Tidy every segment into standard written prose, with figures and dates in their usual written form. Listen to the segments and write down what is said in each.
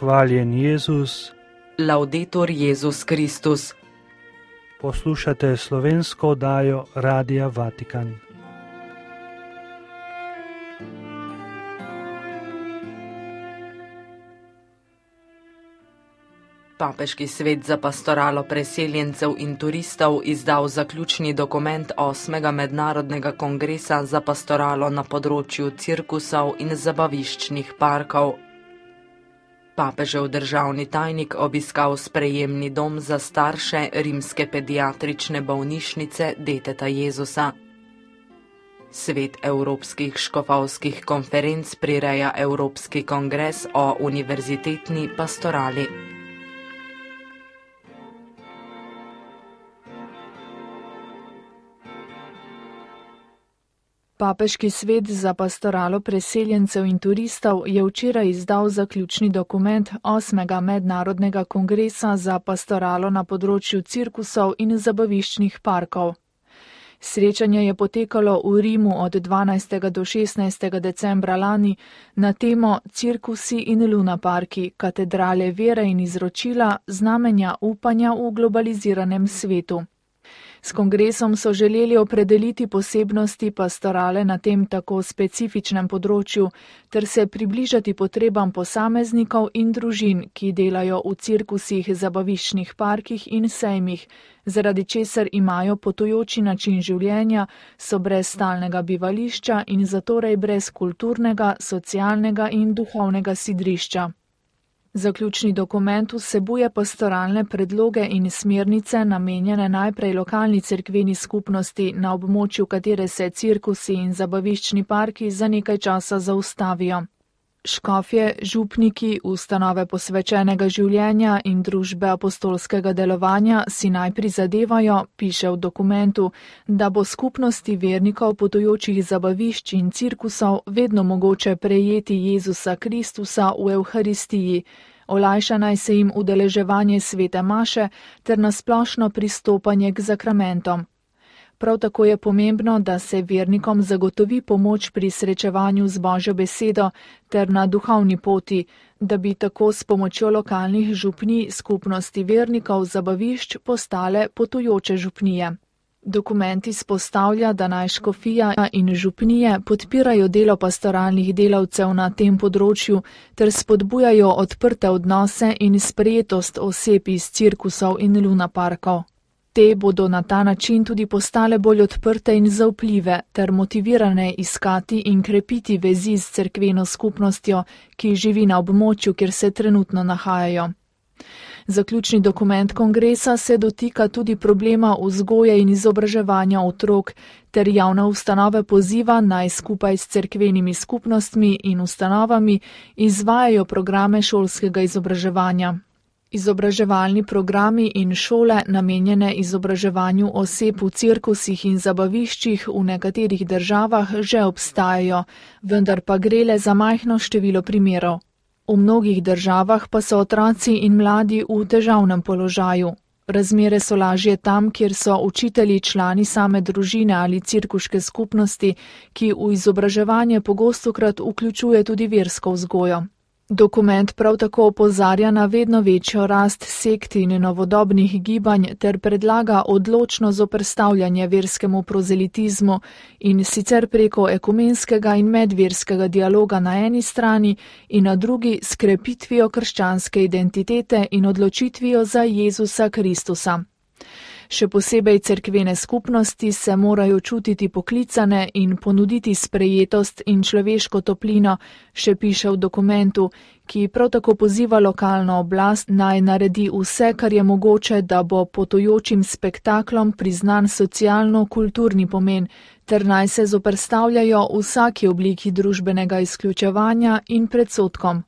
Hvaljen Jezus. Laudetur Jezus Kristus. Poslušate slovensko oddajo Radia Vatikan. Papeški svet za pastoralo preseljencev in turistov izdal zaključni dokument 8. mednarodnega kongresa za pastoralo na področju cirkusov in zabaviščnih parkov. Papežev državni tajnik obiskal sprejemni dom za starše rimske pediatrične bolnišnice Deteta Jezusa. Svet evropskih škofovskih konferenc prireja Evropski kongres o univerzitetni pastorali. Papeški svet za pastoralo preseljencev in turistov je včeraj izdal zaključni dokument 8. mednarodnega kongresa za pastoralo na področju cirkusov in zabaviščnih parkov. Srečanje je potekalo v Rimu od 12. do 16. decembra lani na temo Cirkusi in lunaparki, katedrale vere in izročila, znamenja upanja v globaliziranem svetu. S kongresom so želeli opredeliti posebnosti pastorale na tem tako specifičnem področju ter se približati potrebam posameznikov in družin, ki delajo v cirkusih, zabaviščnih parkih in sejmih, zaradi česar imajo potujoči način življenja, so brez stalnega bivališča in zatorej brez kulturnega, socialnega in duhovnega sidrišča. Zaključni dokument vsebuje pastoralne predloge in smernice namenjene najprej lokalni cerkveni skupnosti, na območju katere se cirkusi in zabaviščni parki za nekaj časa zaustavijo. Škofje, župniki, ustanove posvečenega življenja in družbe apostolskega delovanja si naj prizadevajo, piše v dokumentu, da bo skupnosti vernikov potujočih zabavišč in cirkusov vedno mogoče prejeti Jezusa Kristusa v Evharistiji, olajša naj se jim udeleževanje svete maše ter nasplošno pristopanje k zakramentom. Prav tako je pomembno, da se vernikom zagotovi pomoč pri srečevanju z Božjo besedo ter na duhovni poti, da bi tako s pomočjo lokalnih župnij skupnosti vernikov zabavišč postale potujoče župnije. Dokument izpostavlja, da naj škofija in župnije podpirajo delo pastoralnih delavcev na tem področju ter spodbujajo odprte odnose in sprejetost oseb iz cirkusov in lunaparkov. Te bodo na ta način tudi postale bolj odprte in zaupljive ter motivirane iskati in krepiti vezi s cerkveno skupnostjo, ki živi na območju, kjer se trenutno nahajajo. Zaključni dokument kongresa se dotika tudi problema vzgoje in izobraževanja otrok ter javne ustanove poziva naj skupaj s cerkvenimi skupnostmi in ustanovami izvajajo programe šolskega izobraževanja. Izobraževalni programi in šole namenjene izobraževanju oseb v cirkusih in zabaviščih v nekaterih državah že obstajajo, vendar pa gre le za majhno število primerov. V mnogih državah pa so otroci in mladi v težavnem položaju. Razmere so lažje tam, kjer so učitelji člani same družine ali cirkuške skupnosti, ki v izobraževanje pogostokrat vključuje tudi versko vzgojo. Dokument prav tako opozarja na vedno večjo rast sekt in novodobnih gibanj ter predlaga odločno zoperstavljanje verskemu prozelitizmu in sicer preko ekumenskega in medverskega dialoga na eni strani in na drugi s krepitvijo krščanske identitete in odločitvijo za Jezusa Kristusa. Še posebej cerkvene skupnosti se morajo čutiti poklicane in ponuditi sprejetost in človeško toplino, še piše v dokumentu, ki prav tako poziva lokalno oblast naj naredi vse, kar je mogoče, da bo potujočim spektaklom priznan socialno-kulturni pomen, ter naj se zoperstavljajo vsaki obliki družbenega izključevanja in predsodkom.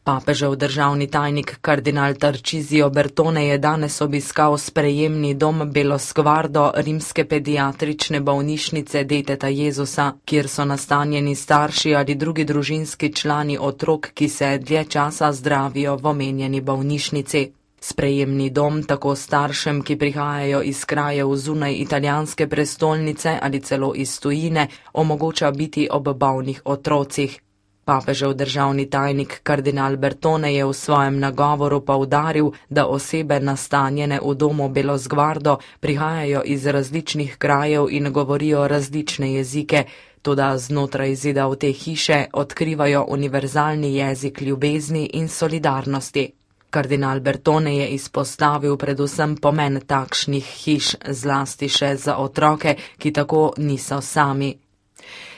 Papežev državni tajnik kardinal Tarcisio Bertone je danes obiskal sprejemni dom Belosguardo rimske pediatrične bolnišnice Deteta Jezusa, kjer so nastanjeni starši ali drugi družinski člani otrok, ki se dlje časa zdravijo v omenjeni bolnišnici. Sprejemni dom tako staršem, ki prihajajo iz krajev zunaj italijanske prestolnice ali celo iz tujine, omogoča biti ob bolnih otrocih. Papežev državni tajnik kardinal Bertone je v svojem nagovoru poudaril, da osebe nastanjene v domu Belosguardo prihajajo iz različnih krajev in govorijo različne jezike, toda znotraj zidov te hiše odkrivajo univerzalni jezik ljubezni in solidarnosti. Kardinal Bertone je izpostavil predvsem pomen takšnih hiš, zlasti še za otroke, ki tako niso sami.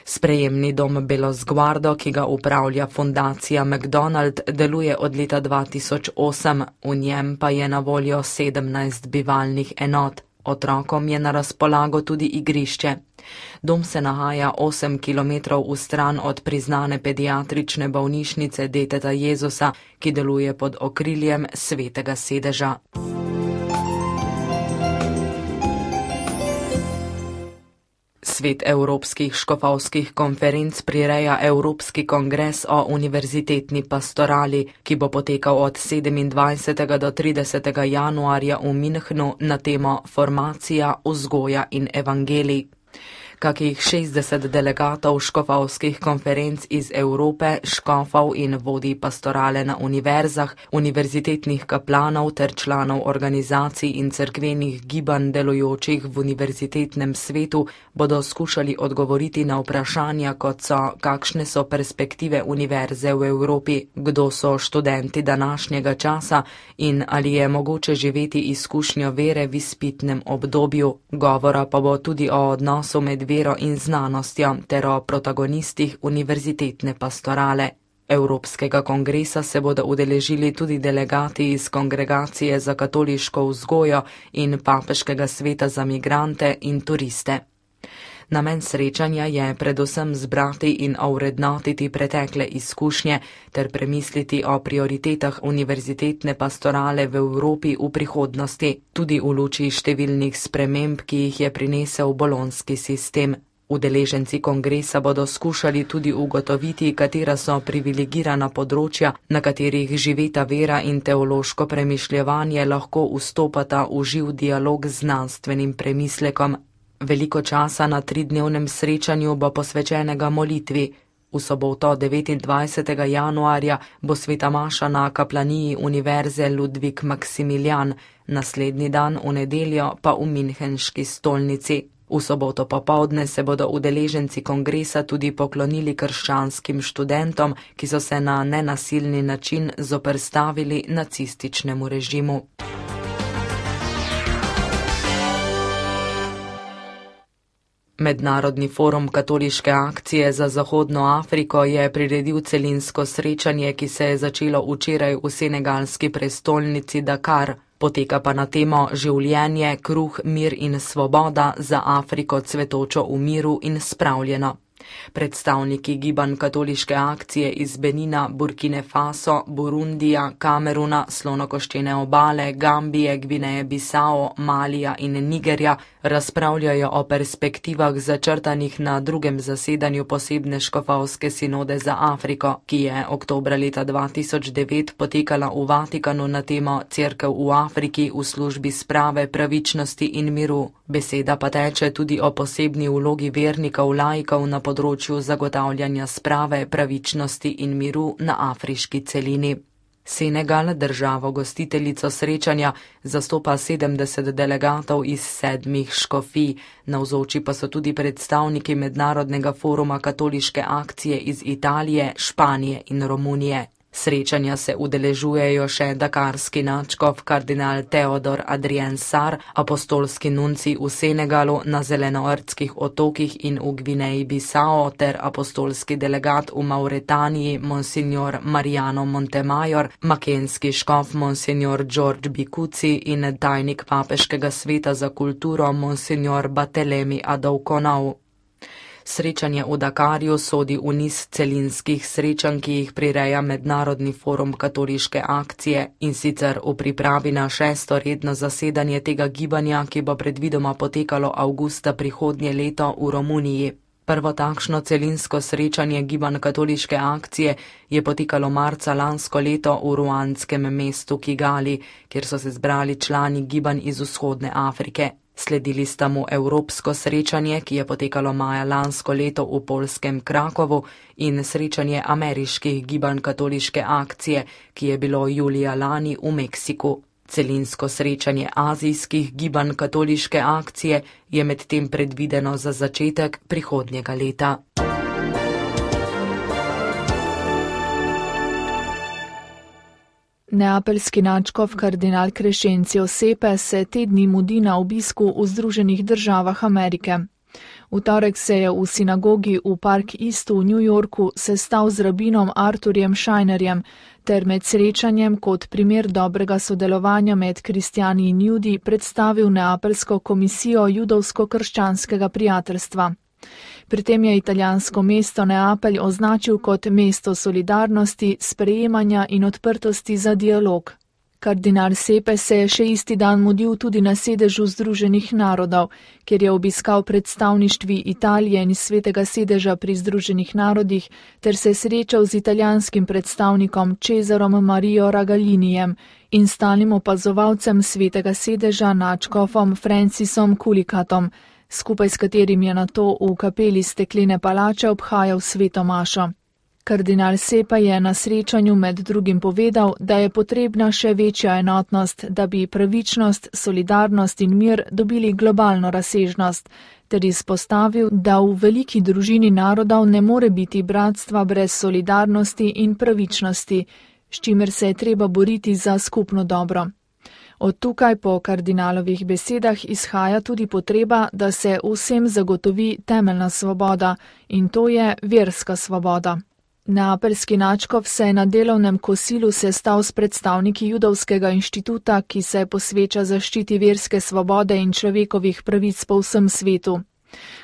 Sprejemni dom Belosguardo, ki ga upravlja fundacija McDonald, deluje od leta 2008, v njem pa je na voljo 17 bivalnih enot. Otrokom je na razpolago tudi igrišče. Dom se nahaja 8 kilometrov v stran od priznane pediatrične bolnišnice Deteta Jezusa, ki deluje pod okriljem Svetega sedeža. Svet evropskih škofovskih konferenc prireja Evropski kongres o univerzitetni pastorali, ki bo potekal od 27. do 30. januarja v Münchnu na temo Formacija, vzgoja in evangelij. Kakih 60 delegatov škofovskih konferenc iz Evrope, škofov in vodij pastorale na univerzah, univerzitetnih kaplanov ter članov organizacij in cerkvenih gibanj delujočih v univerzitetnem svetu bodo skušali odgovoriti na vprašanja, kot so, kakšne so perspektive univerze v Evropi, kdo so študenti današnjega časa in ali je mogoče živeti izkušnjo vere v izpitnem obdobju. Govora pa bo tudi o odnosu med vero in znanostjo ter o protagonistih univerzitetne pastorale. Evropskega kongresa se bodo udeležili tudi delegati iz Kongregacije za katoliško vzgojo in Papeškega sveta za migrante in turiste. Namen srečanja je predvsem zbrati in ovrednotiti pretekle izkušnje ter premisliti o prioritetah univerzitetne pastorale v Evropi v prihodnosti, tudi v luči številnih sprememb, ki jih je prinesel bolonjski sistem. Udeleženci kongresa bodo skušali tudi ugotoviti, katera so privilegirana področja, na katerih živeta vera in teološko premišljevanje lahko vstopata v živ dialog z znanstvenim premislekom. Veliko časa na 3-dnevnem srečanju bo posvečenega molitvi. V soboto 29. januarja bo sveta maša na kaplaniji Univerze Ludwig Maximilian, naslednji dan v nedeljo pa v Münchenški stolnici. V soboto popoldne se bodo udeleženci kongresa tudi poklonili krščanskim študentom, ki so se na nenasilni način zoperstavili nacističnemu režimu. Mednarodni forum katoliške akcije za Zahodno Afriko je priredil celinsko srečanje, ki se je začelo včeraj v senegalski prestolnici Dakar. Poteka pa na temo Življenje, kruh, mir in svoboda za Afriko cvetočo v miru in spravljeno. Predstavniki gibanj katoliške akcije iz Benina, Burkine Faso, Burundija, Kameruna, Slonokoščene obale, Gambije, Gvineje Bisao, Malija in Nigerja razpravljajo o perspektivah začrtanih na drugem zasedanju posebne škofovske sinode za Afriko, ki je oktobra leta 2009 potekala v Vatikanu na temo Cerkev v Afriki v službi sprave, pravičnosti in miru. Beseda pa teče tudi o posebni vlogi vernikov laikov na področju zagotavljanja sprave, pravičnosti in miru na afriški celini. Senegal, državo gostiteljico srečanja, zastopa 70 delegatov iz 7 škofij, navzoči pa so tudi predstavniki Mednarodnega foruma katoliške akcije iz Italije, Španije in Romunije. Srečanja se udeležujejo še dakarski nadškof kardinal Teodor Adrien Sar, apostolski nunci v Senegalu, na Zelenoardskih otokih in v Gvineji Bisao ter apostolski delegat v Mauretaniji monsignor Mariano Montemayor, makenski škof monsignor George Bikuci in tajnik Papeškega sveta za kulturo monsignor Batelemi Adoukonau. Srečanje v Dakarju sodi v niz celinskih srečanj, ki jih prireja Mednarodni forum katoliške akcije, in sicer v pripravi na 6. redno zasedanje tega gibanja, ki bo predvidoma potekalo avgusta prihodnje leto v Romuniji. Prvo takšno celinsko srečanje gibanj katoliške akcije je potekalo marca lansko leto v ruandskem mestu Kigali, kjer so se zbrali člani gibanj iz vzhodne Afrike. Sledili sta mu evropsko srečanje, ki je potekalo maja lansko leto v poljskem Krakovu, in srečanje ameriških gibanj katoliške akcije, ki je bilo julija lani v Meksiku. Celinsko srečanje azijskih gibanj katoliške akcije je medtem predvideno za začetek prihodnjega leta. Neapeljski nadškof kardinal Crescencio Sepe se te dni mudi na obisku v Združenih državah Amerike. V torek se je v sinagogi v Park Eastu v New Yorku sestal z rabinom Arthurjem Schreinerjem ter med srečanjem kot primer dobrega sodelovanja med kristjani in judi predstavil Neapeljsko komisijo judovsko-krščanskega prijateljstva. Pri tem je italijansko mesto Neapelj označil kot mesto solidarnosti, sprejemanja in odprtosti za dialog. Kardinal Sepe se je še isti dan mudil tudi na sedežu Združenih narodov, kjer je obiskal predstavništvi Italije in Svetega sedeža pri Združenih narodih ter se srečal z italijanskim predstavnikom Cesarom Mario Ragalinijem in stalnim opazovalcem Svetega sedeža nadškofom Francisom Kulikatom, skupaj s katerim je nato v kapeli Steklene palače obhajal sveto mašo. Kardinal Sepe je na srečanju med drugim povedal, da je potrebna še večja enotnost, da bi pravičnost, solidarnost in mir dobili globalno razsežnost, ter izpostavil, da v veliki družini narodov ne more biti bratstva brez solidarnosti in pravičnosti, s čimer se je treba boriti za skupno dobro. Od tukaj po kardinalovih besedah izhaja tudi potreba, da se vsem zagotovi temeljna svoboda, in to je verska svoboda. Neapeljski nadškof se je na delovnem kosilu sestal s predstavniki Judovskega inštituta, ki se posveča zaščiti verske svobode in človekovih pravic po vsem svetu.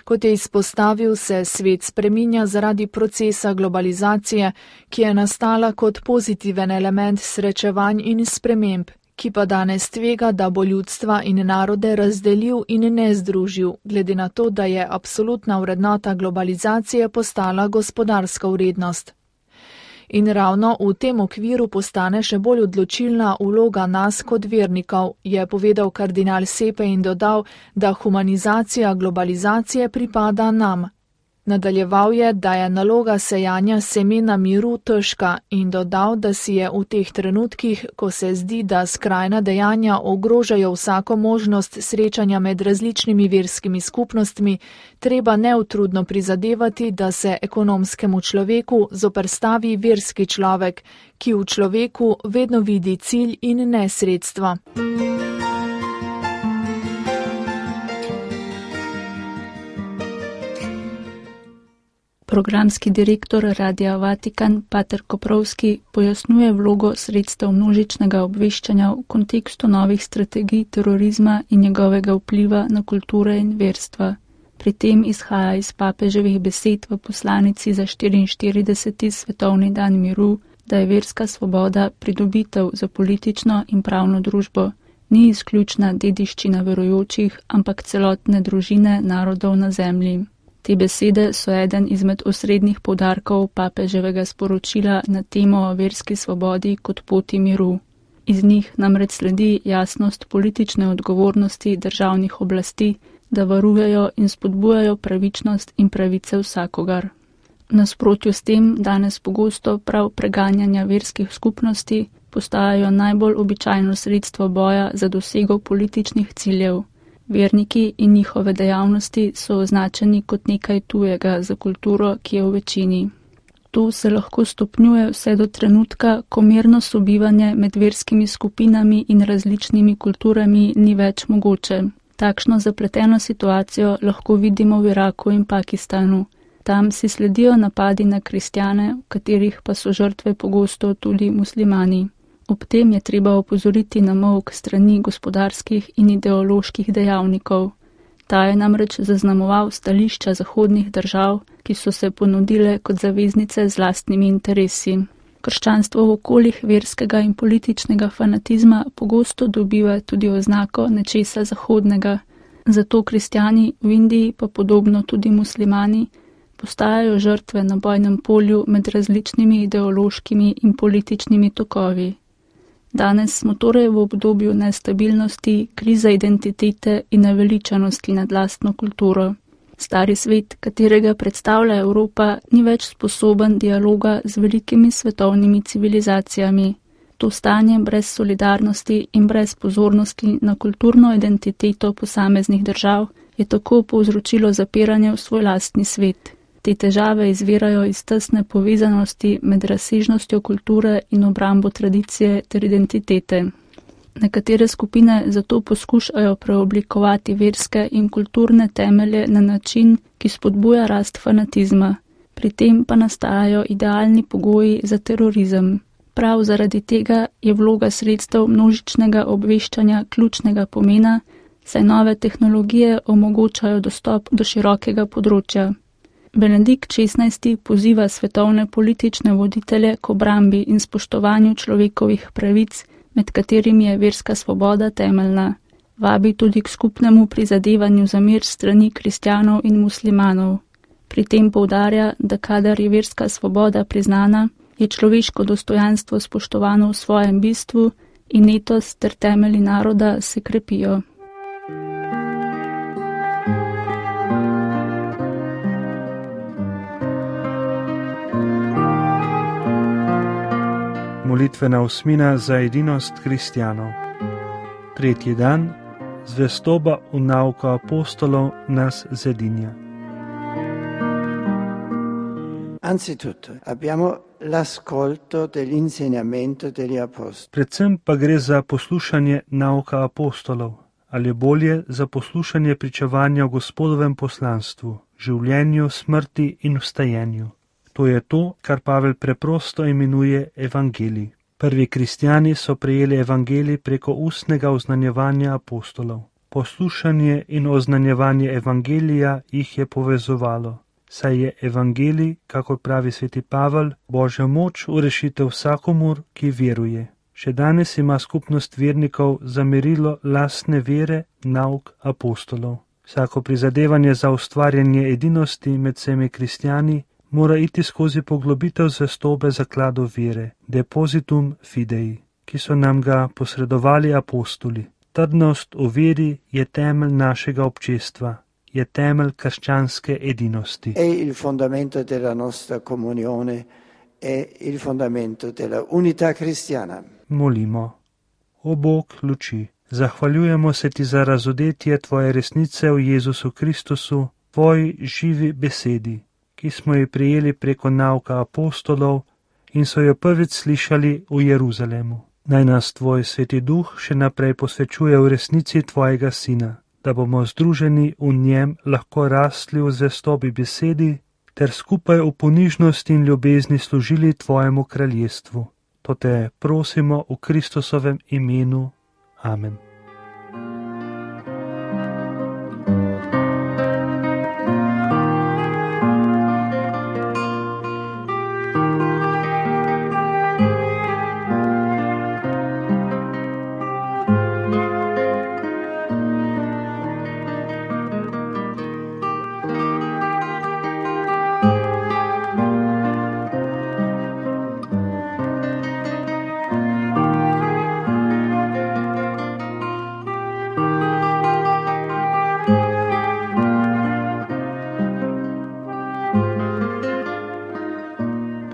Kot je izpostavil, se svet spreminja zaradi procesa globalizacije, ki je nastala kot pozitiven element srečevanj in sprememb, ki pa danes tvega, da bo ljudstva in narode razdelil in ne združil, glede na to, da je absolutna vrednota globalizacije postala gospodarska vrednost. In ravno v tem okviru postane še bolj odločilna vloga nas kot vernikov, je povedal kardinal Sepe in dodal, da humanizacija globalizacije pripada nam. Nadaljeval je, da je naloga sejanja semena miru težka in dodal, da si je v teh trenutkih, ko se zdi, da skrajna dejanja ogrožajo vsako možnost srečanja med različnimi verskimi skupnostmi, treba neutrudno prizadevati, da se ekonomskemu človeku zoperstavi verski človek, ki v človeku vedno vidi cilj in ne sredstva. Programski direktor Radia Vatikan Pater Koprovski pojasnjuje vlogo sredstev množičnega obveščanja v kontekstu novih strategij terorizma in njegovega vpliva na kulture in verstva. Pri tem izhaja iz papeževih besed v poslanici za 44. svetovni dan miru, da je verska svoboda pridobitev za politično in pravno družbo, ni izključna dediščina verujočih, ampak celotne družine narodov na zemlji. Te besede so eden izmed osrednjih poudarkov papeževega sporočila na temo o verski svobodi kot poti miru. Iz njih namreč sledi jasnost politične odgovornosti državnih oblasti, da varujejo in spodbujajo pravičnost in pravice vsakogar. V nasprotju s tem danes pogosto prav preganjanja verskih skupnosti postajajo najbolj običajno sredstvo boja za dosego političnih ciljev. Verniki in njihove dejavnosti so označeni kot nekaj tujega za kulturo, ki je v večini. To se lahko stopnjuje vse do trenutka, ko mirno sobivanje med verskimi skupinami in različnimi kulturami ni več mogoče. Takšno zapleteno situacijo lahko vidimo v Iraku in Pakistanu. Tam si sledijo napadi na kristjane, v katerih pa so žrtve pogosto tudi muslimani. Ob tem je treba opozoriti na molk strani gospodarskih in ideoloških dejavnikov. Ta je namreč zaznamoval stališča zahodnih držav, ki so se ponudile kot zaveznice z lastnimi interesi. Krščanstvo v okoljih verskega in političnega fanatizma pogosto dobiva tudi oznako nečesa zahodnega. Zato kristjani v Indiji, pa podobno tudi muslimani, postajajo žrtve na bojnem polju med različnimi ideološkimi in političnimi tokovi. Danes smo torej v obdobju nestabilnosti, krize identitete in naveličanosti nad lastno kulturo. Stari svet, katerega predstavlja Evropa, ni več sposoben dialoga z velikimi svetovnimi civilizacijami. To stanje brez solidarnosti in brez pozornosti na kulturno identiteto posameznih držav je tako povzročilo zapiranje v svoj lastni svet. Te težave izvirajo iz tesne povezanosti med razsežnostjo kulture in obrambo tradicije ter identitete. Nekatere skupine zato poskušajo preoblikovati verske in kulturne temelje na način, ki spodbuja rast fanatizma. Pri tem pa nastajajo idealni pogoji za terorizem. Prav zaradi tega je vloga sredstev množičnega obveščanja ključnega pomena, saj nove tehnologije omogočajo dostop do širokega področja. Benedikt XVI. Poziva svetovne politične voditelje k obrambi in spoštovanju človekovih pravic, med katerimi je verska svoboda temeljna. Vabi tudi k skupnemu prizadevanju za mir strani kristjanov in muslimanov. Pri tem poudarja, da kadar je verska svoboda priznana, je človeško dostojanstvo spoštovano v svojem bistvu in etos ter temelji naroda se krepijo. Molitvena osmina za edinost kristjanov. 3. dan. Zvestoba v nauko apostolov nas zedinja. Anzitutto abbiamo l'ascolto dell'insegnamento degli apostoli. Predvsem pa gre za poslušanje nauka apostolov, ali bolje za poslušanje pričevanja o Gospodovem poslanstvu, življenju, smrti in vstajenju. To je to, kar Pavel preprosto imenuje evangelij. Prvi kristjani so prejeli evangelij preko ustnega oznanjevanja apostolov. Poslušanje in oznanjevanje evangelija jih je povezovalo, saj je evangelij, kakor pravi sveti Pavel, Božja moč v rešitev vsakomur, ki veruje. Še danes ima skupnost vernikov za merilo lastne vere nauk apostolov. Vsako prizadevanje za ustvarjanje edinosti med vsemi kristjani mora iti skozi poglobitev zvestobe zakladov vere, depositum fidei, ki so nam ga posredovali apostoli. Trdnost v veri je temelj našega občestva, je temelj krščanske edinosti. È il fondamento della nostra comunione, è il fondamento della unità cristiana. Molimo. O Bog luči, zahvaljujemo se ti za razodetje tvoje resnice v Jezusu Kristusu, tvoji živi besedi, ki smo jo prijeli preko nauka apostolov in so jo prvič slišali v Jeruzalemu. Naj nas tvoj sveti duh še naprej posvečuje v resnici tvojega sina, da bomo združeni v njem lahko rastli v zvestobi besedi ter skupaj v ponižnosti in ljubezni služili tvojemu kraljestvu. To te prosimo v Kristusovem imenu. Amen.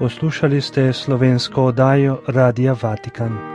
Poslušali ste slovensko oddajo Radia Vatikan.